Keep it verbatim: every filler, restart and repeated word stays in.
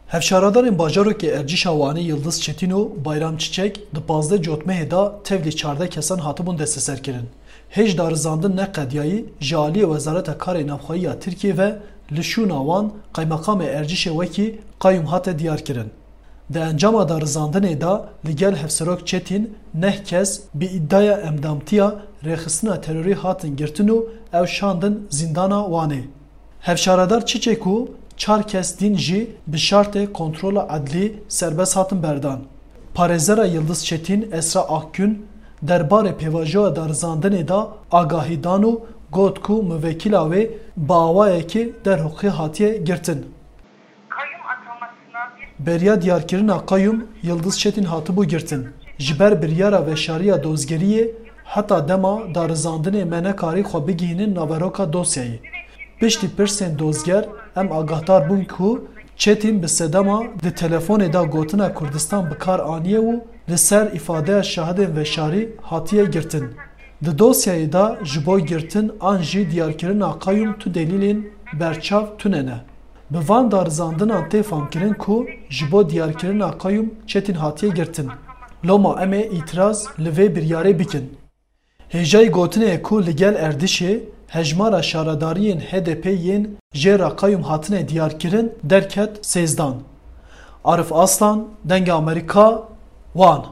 Hevşaredarên bajarokê Ercîşa Wanê Yildiz Çetîn û Bayram Çiçek di pazdeh cotmehê de tevlî çardeh kesan hatibûn desteserkirin. Hêj darizandin neqediyayî ji aliyê Wezareta Karê Navxweyî ya Tirkiyê ve li şûna wan qeymeqamê Ercîşê wekî qeyûm hate diyarkirin. Di encama darizandinê de li gel Hevserok Çetîn neh kes bi îdaya endamtiya rêxistina terorî hatin girtin û ew şandin zîndana Wanê. Hevşaredar Çiçek û çar kes din jî bi şartê kontrola edlî serbest hatin berdan. Parêzera Yildiz Çetîn Esra Akgün derbarê pêvajoya darizandinê de agahî dan û got ku muvekîla wê bi awayekî derhiqî hatiye girtin. Beriya diyarkirina qeyûm Yildiz Çetîn hatibû girtin. Ji ber biryara veşariya dozgeriyê heta dema darizandinê me nekarî xwe bigihînin naveroka dosyayê. Piştî pirsên dozger em agahdar bûn ku Çetîn bi sedema di telefonê de gotina Kurdistan bi kar aniye û li ser îfadeya şahidên veşarî hatiye girtin. Di dosyayê de ji bo girtin an jî diyarkirina qeyûm tu delîlên berçav tune ne. Bi van darizandinan tê famkirin ku ji bo diyarkirina qeyûm Çetîn hatiye girtin. Loma em ê îtiraz li vê biryarê bikin. Hêjayî gotinê ye ku li gel Erdîşê hejmara şaredariyên H D P yên jê re qeyûm hatine diyarkirin derket sêzdan. Arif Aslan, Dengê Amerîka, Wan.